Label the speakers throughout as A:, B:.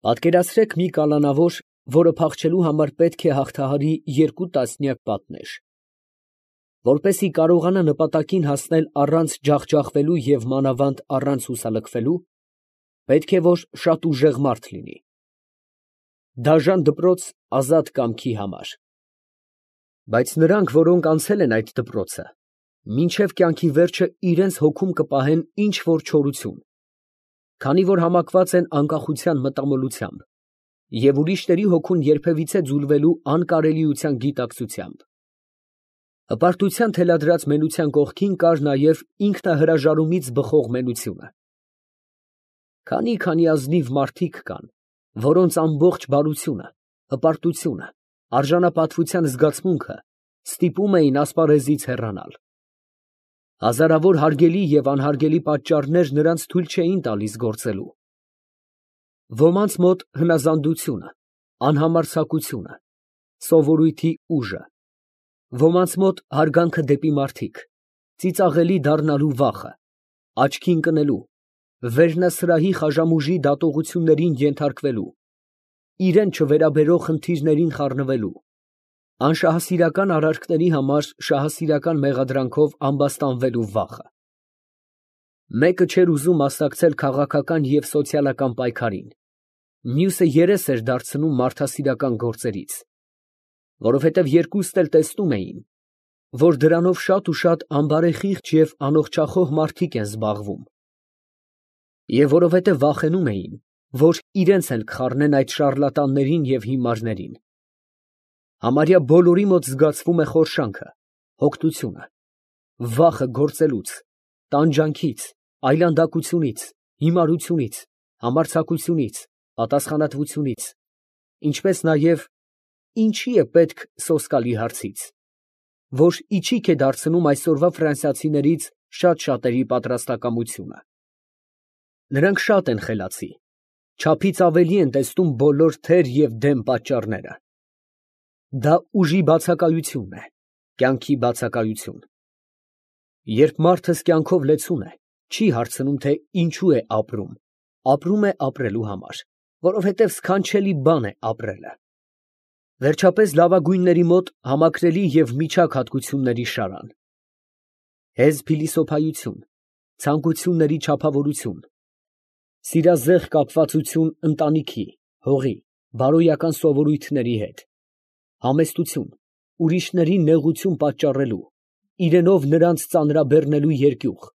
A: Պատկերացրեք մի կալանավոր, որը փախչելու համար պետք է հաղթահարի 2 տասնյակ պատնեշ։ Որպեսզի կարողանա նպատակին հասնել առանց ջախջախվելու և մանավանդ առանց հուսալքվելու, պետք է որ շատ ուժեղ մարդ լինի։ Դաժան դպրոց ազատ կամքի համար։ Բայց նրանք, որոնք անցել են այդ դպրոցը, մինչև կյանքի վերջը իրենց հոգում կպահեն ինչ որ չորություն, քանի որ համակված են անկախության մտամոլությամբ և ուրիշների հոգուն երբևիցե ձուլվելու անկարելիության գիտակցությամբ։ Հպարտության թելադրած մենության կողքին կար նաև ինքնահրաժարումից բխող մենությունը։ Քանի ազնիվ մարդիկ կան, որոնց ամբողջ բարությունը, հպարտությունը, արժանապատվության զգացմունքը ստիպում էին ասպարեզից հեռանալ։ Հազարավոր հարգելի և անհարգելի պատճառներ նրանց թույլ չէին տալիս գործելու։ Ոմանց մոտ հնազանդությունը, անհամարձակությունը, սովորույթի ուժը, ոմանց մոտ հարգանքը դեպի մարդիկ, ծիծաղելի դառնալու վախը, աչքի ընկնելու, վերնասրահի խաժամուժի դատողություններին ենթարկվելու, իրան չվերաբերող խնդիրներին խառնվելու, անշահասիրական արարքների համար շահասիրական մեղադրանքով ամբաստանվելու վախը։ Մեկը չէր ուզում մասնակցել քաղաքական և սոցիալական պայքարին, մյուսը երես էր դարձնում մարդասիրական գործերից, որովհետև երկուսն էլ տեսնում էին, որ դրանով շատ ու շատ անբարեխիղճ և անոხճախոհ մարդիկ են զբաղվում, և որովհետև վախենում էին, որ իրենց էլ կխառնեն այդ շառլատաններին և հիմարներին։ Համարյա բոլորի մոտ զգացվում է խորշանքը, հոգնությունը, վախը գործելուց, տանջանքից, այլանդակությունից, հիմարությունից, համարձակությունից, պատասխանատվությունից, ինչպես նաև ինչի է պետք սոսկալի հարցից, որ իչիք է դարձնում այսօրվա ֆրանսիացիներից շատ շատերի պատրաստակամությունը։ Նրանք շատ են խելացի, չափից ավելի են տեսնում բոլոր թեր և դեմ պատճառները։ Դա ուժի բացակայությունն է, կյանքի բացակայություն։ Երբ մարդս կյանքով լեցուն է, չի հարցնում, թե ինչու է ապրում, ապրում է ապրելու համար, որովհետև սքանչելի բան է ապրելը։ Վերջապես լավագույնների մոտ համակրելի և միջակ հատկությունների շարան։ Հեզ փիլիսոփայություն, ցանկությունների չափավորություն, սիրազեղ կապվածություն ընտանիքի, հողի, բարոյական սովորույթների հետ, համեստություն, ուրիշներին նեղություն պատճառելու, իրենով նրանց ծանրաբեռնելու երկյուղ,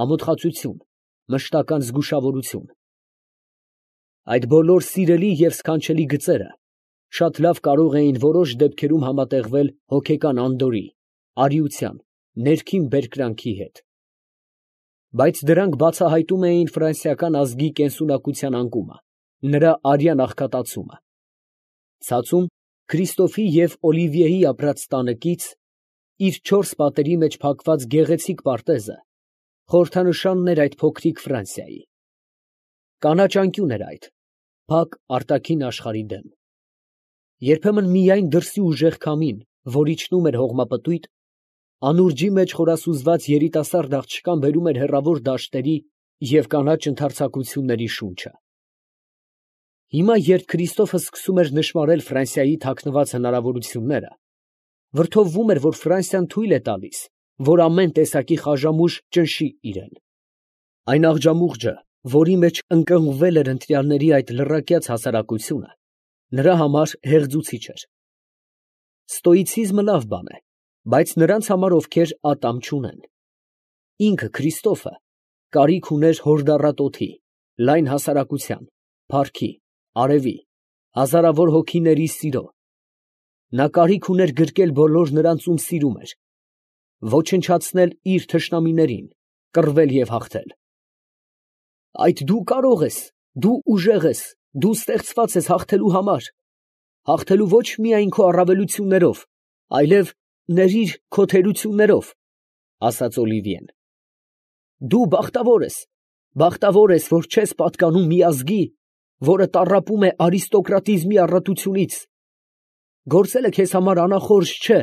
A: ամոթխածություն, մշտական զգուշավորություն։ Այդ բոլոր սիրելի և սքանչելի գծերը շատ լավ կարող էին որոշ դեպքերում համատեղվել հոգեկան անդորրի, արիության, ներքին բերկրանքի հետ։ Բայց դրանք բացահայտում էին ֆրանսիական ազգի կենսունակության անկումը, նրա արյան աղքատացումը։ Ցածում Քրիստոֆի և Օլիվիեի ապրած տանը կից, իր 4 պատերի մեջ փակված գեղեցիկ պարտեզը խորհրդանշանն էր այդ փոքրիկ Ֆրանսիայի։ Կանաչ անկյուն էր այդ, փակ արտաքին աշխարհի դեմ։ Երբեմն միայն դրսի ուժեղ քամին, որ իջնում էր հողմապտույտ, անուրջի մեջ խորասուզված երիտասարդ աղջկան բերում էր հեռավոր դաշտերի և կանաչ ընդարձակությունների շունչը։ Հիմա, երբ Քրիստոֆը սկսում էր նշմարել Ֆրանսիայի թաքնված հնարավորությունները, վրդովվում էր, որ Ֆրանսիան թույլ է տալիս, որ ամեն տեսակի խաժամուժ ճնշի իրան։ Այն աղջամուղջը, որի մեջ ընկղմվել էր ընտրյալների այդ լռակյաց հասարակությունը, նրա համար հեղձուցիչ էր։ Ստոիցիզմը լավ բան է, բայց նրանց համար, ովքեր ատամ չունեն։ Ինքը Քրիստոֆը կարիք ուներ հորդառատ օդի, լայն հասարակության, փառքի, արևի, հազարավոր հոգիների սիրո։ Նա կարիք ուներ գրկել բոլոր նրանց, ում սիրում էր, ոչնչացնել իր թշնամիներին, կռվել և հաղթել։ Այդ դու կարող ես, դու ուժեղ ես, դու ստեղծված ես հաղթելու համար, հաղթելու ոչ միայն քո առավելություններով, այլև ներիր քո թերություններով, ֊ ասաց Օլիվիեն։ Դու բախտավոր ես, որ չես պատկանում մի ազգի, որը տառապում է արիստոկրատիզմի առատությունից։ Գործելը քեզ համար անախորժ չէ։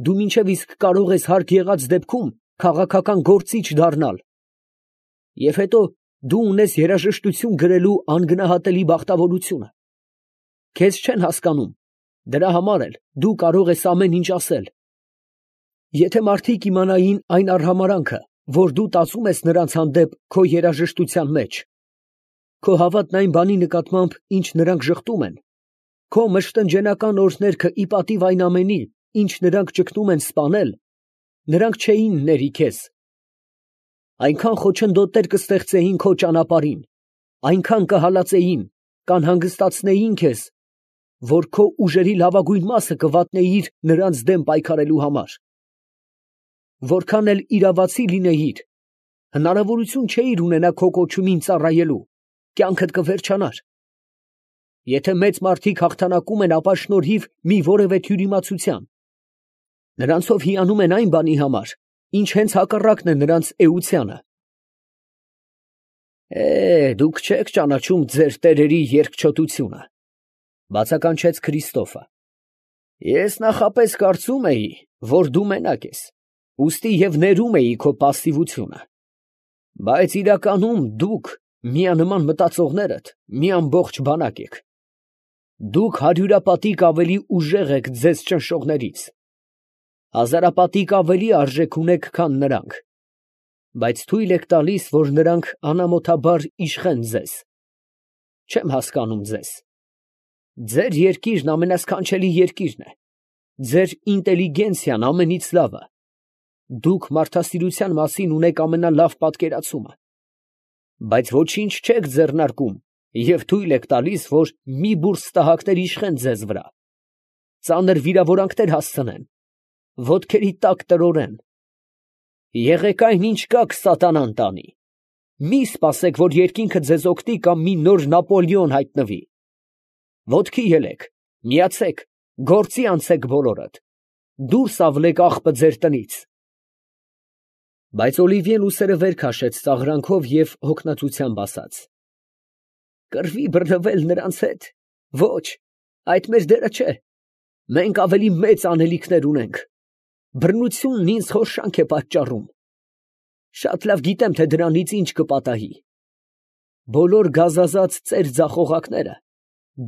A: Դու մինչև իսկ կարող ես հարկ եղած դեպքում քաղաքական գործիչ դառնալ։ Եվ հետո Դու ունես երաժշտություն գրելու անգնահատելի բախտավորությունը։ Քեզ չեն հասկանում, դրա համար էլ դու կարող ես ամեն ինչ ասել։ Եթե մարդիկ իմանային այն արհամարհանքը, որ դու տածում ես նրանց հանդեպ քո երաժշտության մեջ, քո հավատն այն բանի նկատմամբ, ինչ նրանք ժխտում են, քո մշտնջենական օրհներգը ի պատիվ այն ամենի, ինչ նրանք ճգնում են սպանել, նրանք չէին ների քեզ։ Այնքան խոչընդոտներ կստեղծեին քո ճանապարհին, այնքան կհալածեին, կանհանգստացնեին քեզ, որ քո ուժերի լավագույն մասը կվատնեիր նրանց դեմ պայքարելու համար։ Որքան էլ իրավացի լինեիր, հնարավորություն չէիր ունենա քո կոչումին ծառայելու, կյանքդ կվերջանար։ Եթե մեծ մարդիկ հաղթանակում են, ապա շնորհիվ մի որևէ թյուրիմացության, նրանցով հիանում են այն բանի համար, ինչ հենց հակառակն է նրանց էությանը։ Դուք չեք ճանաչում ձեր տերերի երկչոտությունը, բացականչեց Քրիստոֆը։ Ես նախապես կարծում էի, որ դու մենակ ես, ուստի և ներում էի քո պասիվությունը, բայց իրականում դուք միանման մտածողներդ մի ամբողջ բանակ եք։ Դուք հարյուրապատիկ ավելի ուժեղ եք ձեզ ճնշողներից, հազարապատիկ ավելի արժեք ունեք, քան նրանք, բայց թույլ եք տալիս, որ նրանք անամոթաբար իշխեն ձեզ։ Չեմ հասկանում ձեզ։ Ձեր երկիրն ամենասքանչելի երկիրն է, ձեր ինտելիգենցիան ամենից լավը, դուք մարդասիրության մասին ունեք ամենալավ պատկերացումը, բայց ոչինչ չեք ձեռնարկում և թույլ եք տալիս, որ մի բուրս տհակներ իշխեն ձեզ վրա, ծանր վիրավորանքներ հասցնեն, ոտքերի տակ տրորեն։ Եղեք այն, ինչ կաք սատանան տանի, մի սպասեք, որ երկինքը ձեզ օգնի կամ մի նոր Նապոլեոն հայտնվի։ Ոտքի ելեք, միացեք, գործի անցեք բոլորդ, դուրս ավլեք աղբը ձեր տնից։ Բայց Օլիվիեն ուսերը վեր քաշեց ծաղրանքով և հոգնածությամբ ասաց. Կռվի բռնվել նրանց հետ, ոչ, այդ մեր դերը չէ, մենք ավելի մեծ անելիքներ ունենք, բռնությունն ինձ խորշանք է պատճառում, շատ լավ գիտեմ, թե դրանից ինչ կպատահի, բոլոր գազազած ծեր ձախողակները,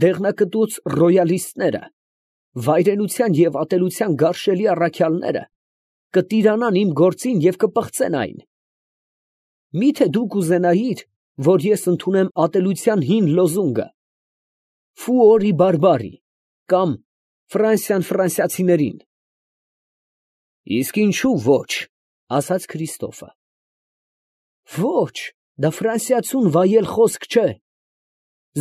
A: դեղնակտուց ռոյալիստները, վայրենության և ատելության գարշելի առաքյալները կտիրանան իմ գործին և կպղծեն այն։ Միթե դուք ուզենայիր, որ ես ընդունեմ ատելության հին լոզունգը, ֆուորի բարբարի, կամ Ֆրանսիան ֆրանսիացիներին։ Իսկ ինչու ոչ, ասաց Քրիստոֆը։ Ոչ, դա ֆրանսիացուն վայել խոսք չէ։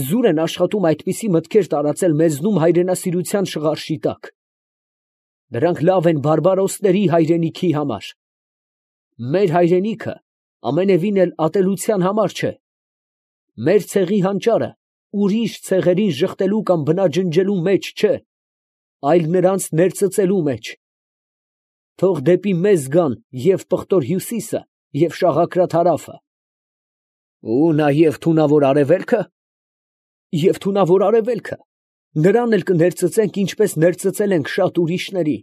A: Զուր են աշխատում այդպիսի մտքեր տարածել մեզնում հայրենասիրության շղարշի տակ։ Դրանք լավ են բարբարոսների հայրենիքի համար։ Մեր հայրենիքը ամենևին էլ ատելության համար չէ։ Մեր ցեղի հանճարը ուրիշ ցեղերին ժխտելու կամ բնաջնջելու մեջ չէ, այլ նրանց ներծծելու մեջ։ Թող դեպի մեզ գան և պղտոր հյուսիսը, և շաղակրատ հարավը։ Ու նաև թունավոր արևելքը։ Եվ թունավոր արևելքը, նրան էլ կներծծենք, ինչպես ներծծել ենք շատ ուրիշների։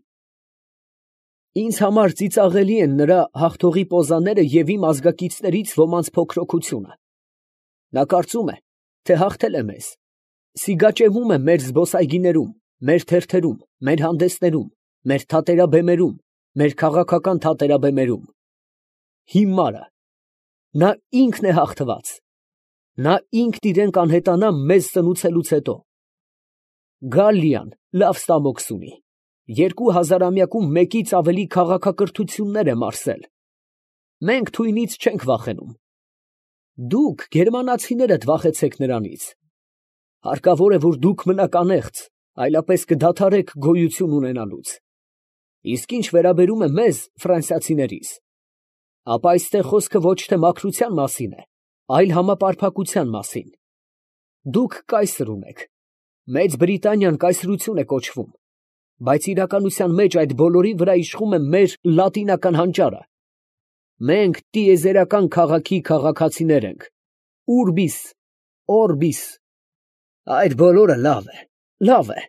A: Ինձ համար ծիծաղելի են նրա հաղթողի պոզաները և իմ ազգակիցներից ոմանց փոքրոքությունը։ Նա կարծում է, թե հաղթել է մեզ, սիգաճեմում է մեր զբոսայգիներում, մեր թերթերում, մեր հանդեսներում, մեր թատերաբեմերում, մեր քաղաքական թատերաբեմերում։ Հիմարը, նա ինքն է հաղթված, նա ինքն իրեն կանհետանա մեզ սնուցելուց հետո։ Գալլիան լավ ստամոքս ունի, 2000-ամյակում մեկից ավելի քաղաքակրթություններ է մարսել։ Մենք թույնից չենք վախենում։ Դուք գերմանացիներդ վախեցեք նրանից։ Հարկավոր է, որ դուք մնաք անեղծ, այլապես կդադարեք գոյություն ունենալուց։ Իսկ ինչ վերաբերում է մեզ, ֆրանսիացիներիս, ապա այստեղ խոսքը ոչ թե մաքրության մասին է, այլ համապարփակության մասին։ Դուք կայսր ունեք, Մեծ Բրիտանիան կայսրություն է կոչվում, բայց իրականության մեջ այդ բոլորի վրա իշխում է մեր լատինական հանճարը։ Մենք տիեզերական քաղաքի քաղաքացիներ ենք, ուրբիս, օրբիս։ Այդ բոլորը լավ է,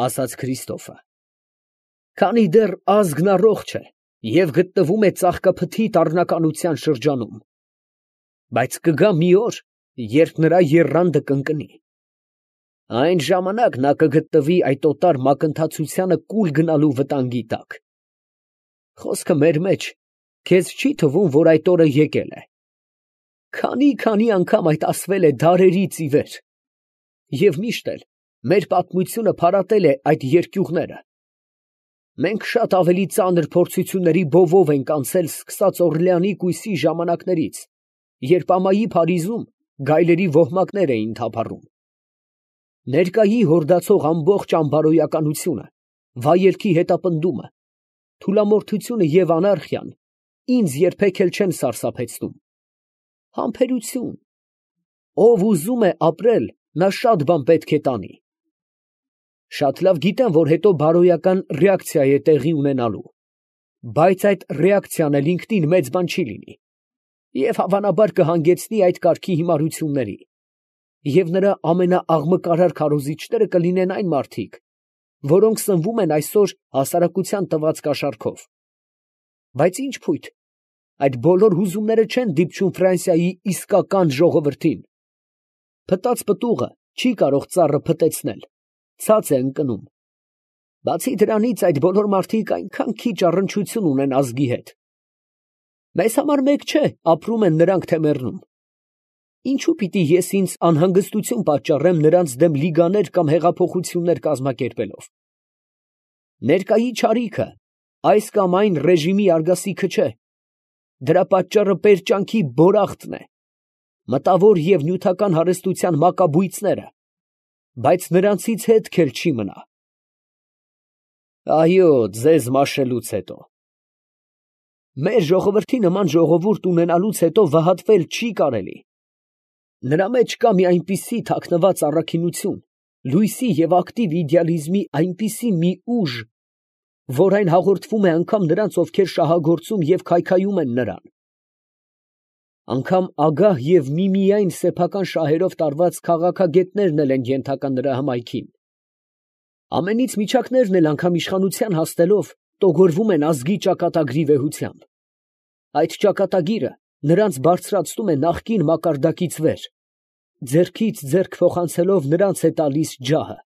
A: ասաց Քրիստոֆը։ Քանի դեռ ազգն առողջ է և գտնվում է ծաղկափթի տառնականության շրջանում։ Բայց կգա մի օր, երբ նրա եռանդը կընկնի։ Այն ժամանակ նա կգտնվի այդ օտար մակընթացությանը կուլ գնալու վտանգի տակ։ Խոսքը մեր մեջ, քեզ չի թվում, որ այդ օրը եկել է։ Քանի անգամ այդ ասվել է դարերից ի վեր։ Եվ միշտ էլ մեր պատմությունը փարատել է այդ երկյուղները։ Մենք շատ ավելի ծանր փորձությունների բովով ենք անցել սկսած Օրլեանի կույսի ժամանակներից, երբ ամայի Փարիզում գայլերի ոհմակներ էին թափառում։ Ներկայի հորդացող ամբողջ անբարոյականությունը, վայելքի հետապնդումը, թուլամորթությունը և անարխիան ինձ երբեք էլ չեն սարսափեցնում։ Համբերություն։ Ով ուզում է ապրել, նա շատ բան պետք է տանի։ Շատ լավ գիտեմ, որ հետո բարոյական ռեակցիա է տեղի ունենալու, բայց այդ ռեակցիան էլ ինքնին մեծ բան չի լինի և հավանաբար կհանգեցնի այդ կարգի հիմարությունների, և նրա ամենաաղմկարար քարոզիչները կլինեն այն մարդիկ, որոնք սնվում են այսօր հասարակության տված կաշառքով։ Բայց ինչ փույթ, այդ բոլոր հուզումները չեն դիպչում Ֆրանսիայի իսկական ժողովրդին։ Փտած պտուղը չի կարող ծառը փտեցնել, ցած է ընկնում։ Բացի դրանից, այդ բոլոր մարդիկ այնքան քիչ առնչություն ունեն ազգի հետ։ Մեզ համար մեկ չէ, ապրում են նրանք, թե մեռնում։ Ինչու պիտի ես ինձ անհանգստություն պատճառեմ նրանց դեմ լիգաներ կամ հեղափոխություններ կազմակերպելով։ Ներկայի չարիքը այս կամ այն ռեժիմի արգասիքը չէ։ Դրա պատճառը պերճանքի բորախտն է, մտավոր և նյութական հարստության մակաբույծները, բայց նրանցից հետք էլ չի մնա։ Այո, ձեզ մաշելուց հետո։ Մեր ժողովրդի նման ժողովուրդ ունենալուց հետո վհատվել չի կարելի։ Նրա մեջ կա մի այնպիսի թաքնված առաքինություն, լույսի և ակտիվ իդեալիզմի այնպիսի մի ուժ, որ այն հաղորդվում է անգամ նրանց, ովքեր շահագործում և քայքայում են նրան։ Անգամ ագահ և միմիայն սեփական շահերով տարված քաղաքագետներն էլ են ենթակա նրա հմայքին։ Ամենից միջակներն էլ անգամ իշխանության հասնելով տոգորվում են ազգի ճակատագրի վեհությամբ։ Այդ ճակատագիրը նրանց բարձրացնում է նախկին մակարդակից վեր, ձեռքից ձեռք փոխանցելով նրանց է տալիս ջահը։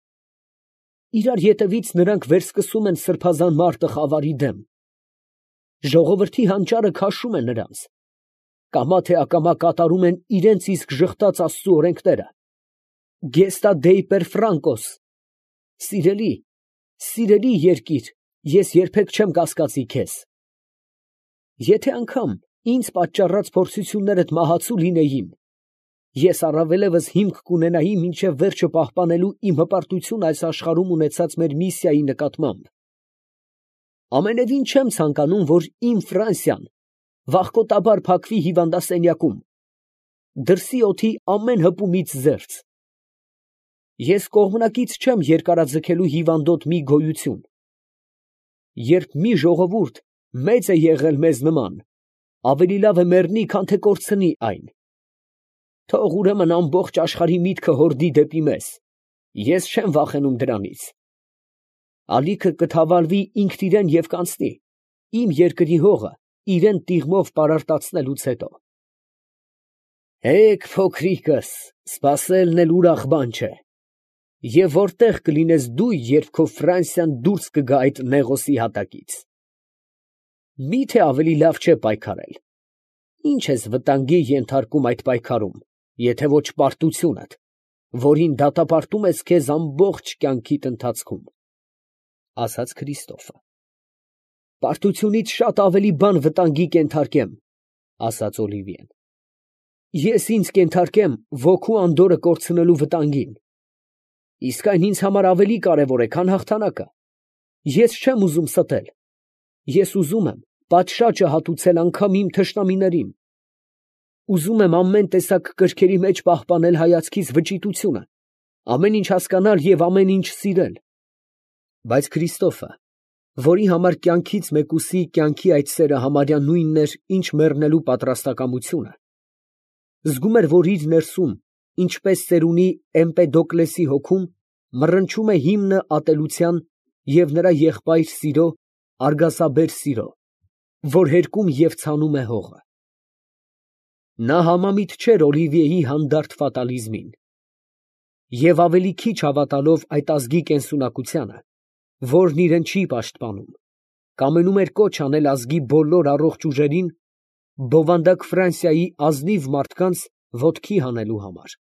A: Իրար ետևից նրանք վերսկսում են սրբազան մարտը խավարի դեմ։ Ժողովրդի հանճարը քաշում է նրանց։ Կամա թե ակամա կատարում են իրենց իսկ ժխտած Աստծու օրենքները։ Gesta Dei per Francos։ Սիրելի, սիրելի երկիր, ես երբեք չեմ կասկածի քեզ։ Եթե անգամ ինձ պատճառած փորձություններդ մահացու լինեին, ես առավելևս հիմք կունենայի մինչև վերջը պահպանելու իմ հպարտություն այս աշխարհում ունեցած մեր միսիայի նկատմամբ։ Ամենևին չեմ ցանկանում, որ իմ Ֆրանսիան վախկոտաբար փակվի հիվանդասենյակում, դրսի օդի ամեն հպումից զերծ։ Ես կողմնակից չեմ երկարաձգելու հիվանդոտ մի գոյություն։ Երբ մի ժողովուրդ մեծ է եղել մեզ նման, ավելի լավ է մեռնի, քան թե կորցնի այն։ Թող ուրեմն ամբողջ աշխարհի միտքը հորդի դեպի մեզ, ես չեմ վախենում դրանից։ Ալիքը կթավալվի ինքն իրեն և կանցնի, իմ երկրի հողը իրեն տիղմով պարարտացնելուց հետո։ Էկ փոքրիկս, սպասելն էլ ուրախ բան չէ։ Եվ որտե՞ղ կլինես դու, երբ քո Ֆրանսիան դուրս կգա այդ նեղոսի հատակից։ Մի՞թե ավելի լավ չէ պայքարել։ Ինչ ես վտանգի ենթարկում այդ պայքարում, եթե ոչ պարտությունդ, որին դատապարտում ես քեզ ամբողջ կյանքիդ ընթացքում, ասաց Քրիստոֆը։ Պարտությունից շատ ավելի բան վտանգի կենթարկեմ, ասաց Օլիվիեն։ Ես ինձ կենթարկեմ ոգու անդորրը կորցնելու վտանգին։ Իսկ այն ինձ համար ավելի կարևոր է, քան հաղթանակը։ Ես չեմ ուզում ստել։ Ես ուզում եմ պատշաճը հատուցել անգամ իմ թշնամիներին։ Ուզում եմ ամեն տեսակ կրքերի մեջ պահպանել հայացքիս վճիտությունը, ամեն ինչ հասկանալ և ամեն ինչ սիրել։ Բայց Քրիստոֆը, որի համար կյանքից մեկուսի կյանքի այդ սերը համարյա նույնն էր, ինչ մեռնելու պատրաստակամությունը, զգում էր, որ իր ներսում, ինչպես ծերունի Էմպեդոկլեսի հոգում, մռնչում է հիմնը ատելության և նրա եղբայր սիրո, արգասաբեր սիրո, որ հերկում և ցանում է հողը։ Նա համամիտ չէր Օլիվիեի հանդարտ ֆատալիզմին և ավելի քիչ հավատալով այդ ազգի կենսունակությանը, որն իրեն չի պաշտպանում, կամենում էր կոչ անել ազգի բոլոր առողջ ուժերին բովանդակ Ֆրանսիայի ազնիվ մարդկանց ոտքի հանելու համար։